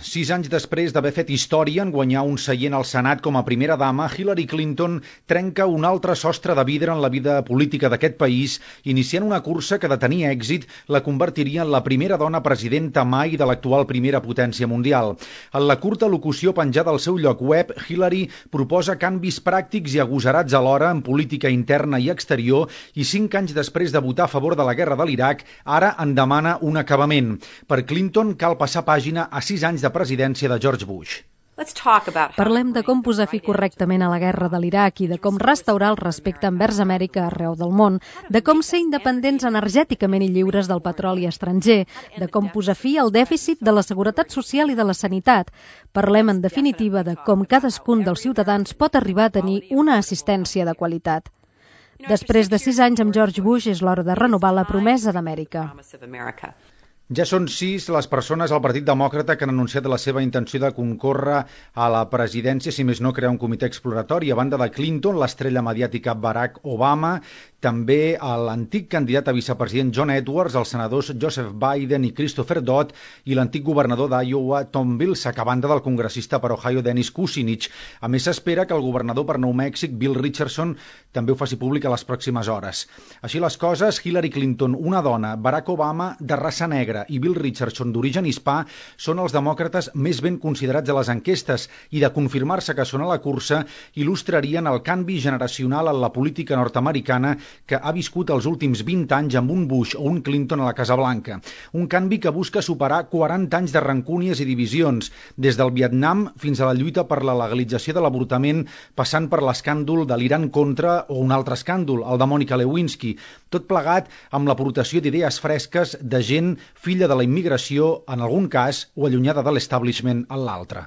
6 anys després d'haver fet història en guanyar un seient al Senat com a primera dama, Hillary Clinton trenca un altre sostre de vidre en la vida política d'aquest país, iniciant una cursa que, de tenir èxit, la convertiria en la primera dona presidenta mai de l'actual primera potència mundial. En la curta locució penjada al seu lloc web, Hillary proposa canvis pràctics i agosarats alhora en política interna i exterior i 5 anys després de votar a favor de la guerra de l'Iraq, ara en demana un acabament. Per Clinton cal passar pàgina a 6 anys de presidència de George Bush. Parlem de com posar fi correctament a la guerra de l'Iraq i de com restaurar el respecte envers Amèrica arreu del món, de com ser independents energèticament i lliures del petroli estranger, de com posar fi al dèficit de la seguretat social i de la sanitat. Parlem, en definitiva, de com cadascun dels ciutadans pot arribar a tenir una assistència de qualitat. Després de 6 anys amb George Bush és l'hora de renovar la promesa d'Amèrica. Ja són 6 les persones al Partit Demòcrata que han anunciat la seva intenció de concórrer a la presidència, si més no crear un comitè exploratori. A banda de Clinton, l'estrella mediàtica Barack Obama, també l'antic candidat a vicepresident John Edwards, els senadors Joseph Biden i Christopher Dodd i l'antic governador d'Iowa Tom Vilsack, a banda del congressista per Ohio Dennis Kucinich. A més, s'espera que el governador per Nou Mèxic Bill Richardson també ho faci públic a les pròximes hores. Així les coses, Hillary Clinton, una dona, Barack Obama, de raça negra, i Bill Richardson, d'origen hispà, són els demòcrates més ben considerats a les enquestes i, de confirmar-se que són a la cursa, il·lustrarien el canvi generacional en la política nord-americana que ha viscut els últims 20 anys amb un Bush o un Clinton a la Casa Blanca. Un canvi que busca superar 40 anys de rancúnies i divisions, des del Vietnam fins a la lluita per la legalització de l'avortament, passant per l'escàndol de l'Iran contra o un altre escàndol, el de Mònica Lewinsky. Tot plegat amb l'aportació d'idees fresques de gent filla de la immigració en algun cas o allunyada de l'establishment en l'altre.